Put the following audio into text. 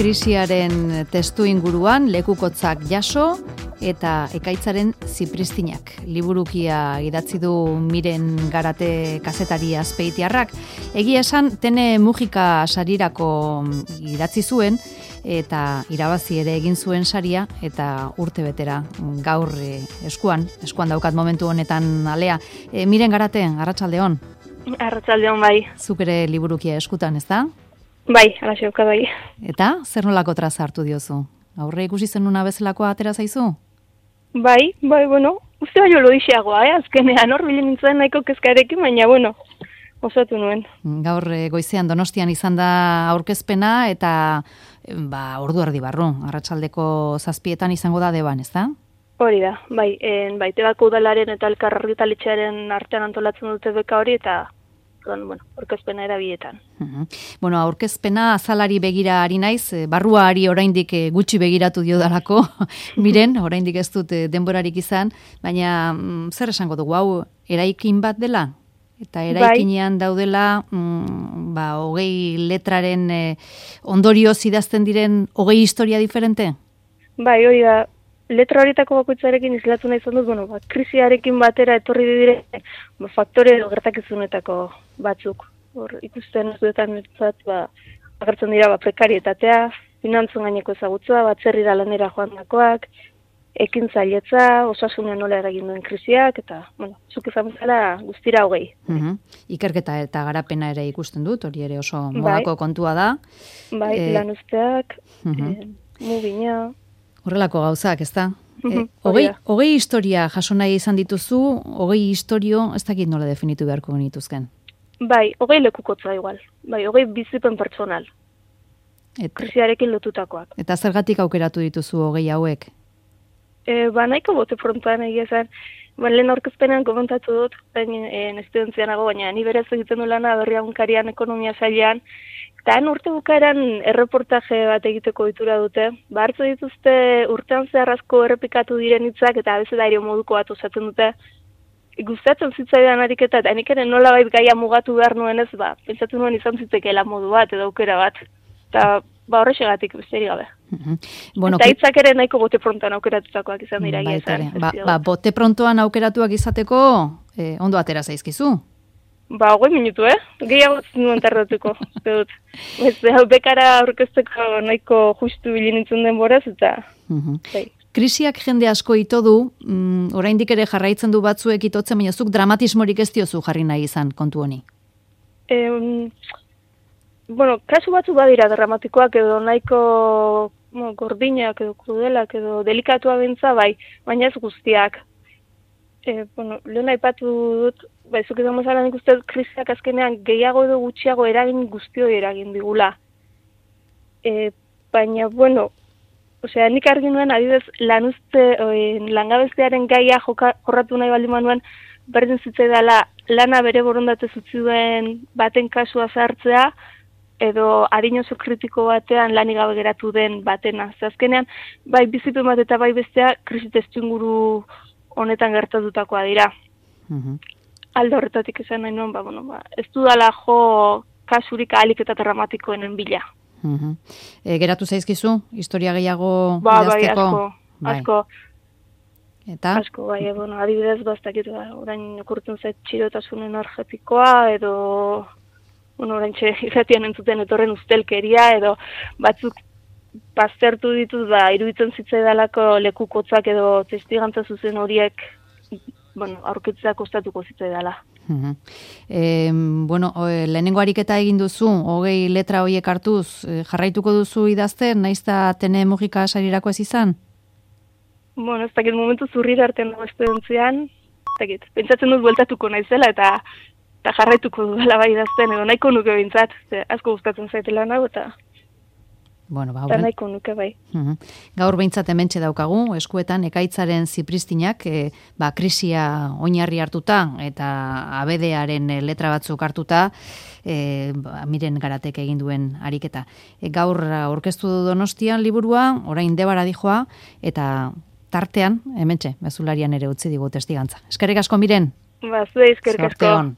krisiaren testu inguruan lekukotzak jaso eta ekaitzaren zipristinak. Liburukia idatzi du Miren Garate kazetari azpeitiarrak. Egia esan, Tene Mujika sarirako idatzi zuen eta irabazi ere egin zuen saria eta urte betera gaur eskuan daukat momentu honetan alea. Miren Garate, arratsaldeon. Arratsaldeon bai. Zuk ere liburukia eskutan, ezta? Bai, alaxe daukat bai. Eta, zer nolako traza hartu diozu? Aurre ikusi zenuna bezalakoa atera zaizu? Bai, bueno, uste baino lodixeagoa, azkenean hor bilen nintzen nahiko kezkarekin, baina, osatu nuen. Gaur goizean Donostian izan da aurkezpena eta ordu erdi barru, arratsaldeko 7:00 izango da Deban, ezta? Hori da, bai, Tebako udalaren eta Elkar argitaletxearen artean antolatzen dute beka hori eta aurkezpena erabietan. Aurkezpena azalari begira ari naiz, barruari oraindik gutxi begiratu diodalako, Miren, oraindik ez dut denborarik izan, baina zer esango dugu, hau eraikin bat dela? Eta eraikinean daudela, 20 letraren ondorioz idazten diren 20 historia diferente? Bai, hori da. Letra horietako bakoitzarekin islatu nahi izan dut, krisiarekin batera etorri dire faktore edo gertakizunetako batzuk. Hor, ikusten ez duetan agertzen dira prekarietatea, finantzen gaineko ezagutza, batzerrira lanera joandakoak, ekintzailetza, osasunean nola eragin duen krisiak, eta, zuk izan bezala guztira 20. Ikerketa eta garapena ere ikusten dut, hori ere oso modako kontua da. Bai, lan usteak, mugina. Horrelako gauzak, ezta? 20 historia jaso nahi izan dituzu, 20 historio, ez dakit nola definitu beharko genituzken? Bai, 20 lekukotza igual. Bai, 20 bizipen pertsonal. Krisiarekin lotutakoak. Eta zergatik aukeratu dituzu 20 hauek? Nahiko bote frontoan egia zen. Lehen aurkezpenean komentatu dut, estudentzianago, baina ni berez egiten du lana Berriagunkarian ekonomia sailean, eta urte bukaeran erreportaje bat egiteko ohitura dute. Hartu dituzte urtean zehar asko errepikatu diren hitzak eta abecedario moduko bat osatzen dute. Gustatzen zitzaidan ariketa, eta nik ere nolabait gaia mugatu behar nuenez, pentsatu nuen izan zitekeela modu bat edo aukera bat. Eta horrexegatik besterik gabe. Eta hitzak ere nahiko bote prontoan aukeratutakoak izan dira. Bote prontoan aukeratuak izateko ondo atera zaizkizu? 20 minutu, gehiago nuen tardatuko. Bekara aurkezteko nahiko justu bilinintzen denboraz, eta... Krisiak jende asko ito du, oraindik ere jarraitzen du batzuek itotzen, baina zuk dramatismorik ez diozu jarri nahi izan kontu honi? Kasu batzu badira dramatikoak edo nahiko gordinak edo krudelak edo delikatua bintza, baina ez guztiak. Lehen aipatu dut, zuk izan bezala nik uste krisiak azkenean gehiago edo gutxiago eragin guztioi eragin digula. Baina, nik argi nuen, adibidez, langabestearen gaia jorratu nahi baldin manuen, berdin zitzaidala lana bere borondatez utzi duen baten kasua zartzea, edo adin oso kritiko batean lanik gabe geratu den batena. Azkenean, bai bizipen bat eta bai bestea krisi testuinguru honetan gertatutakoa dira. Alde horretatik esan nahi nuen, ez dudala jo kasurik ahalik eta dramatikoenen bila. Geratu zaizkizu, historia gehiago idazteko? Asko. Eta? Asko, adibidez bastakit, orain okurtzen zait txirotasun energetikoa, edo orain irratian entzuten etorren ustelkeria, edo batzuk baztertu dituz, iruditzen zitzaidalako lekukotzak edo testigantza zuzen horiek aurkitzea kostatuko zitzaidala. Lehenengo ariketa egin duzu, 20 letra horiek hartuz, jarraituko duzu idazten, nahiz eta Tene Mujika sarirako ez izan? Ez dakit momentu zurrir artean dago estudentzian, pentsatzen dut bueltatuko naizela eta jarraituko dudala bai idazten, edo nahiko nuke bintzat, asko gustatzen zaitela nago eta... Eta nahiko nuke bai. Gaur behintzat hementxe daukagu, eskuetan ekaitzaren zipristinak, krisia oinarri hartuta eta abedearen letra batzuk hartuta, Miren Garatek egin duen ariketa. Gaur aurkeztu du Donostian liburua, orain Debara dijoa, eta tartean, hementxe, mezularian ere utzi digu testigantza. Eskerrik asko, Miren. Zuei eskerrik asko.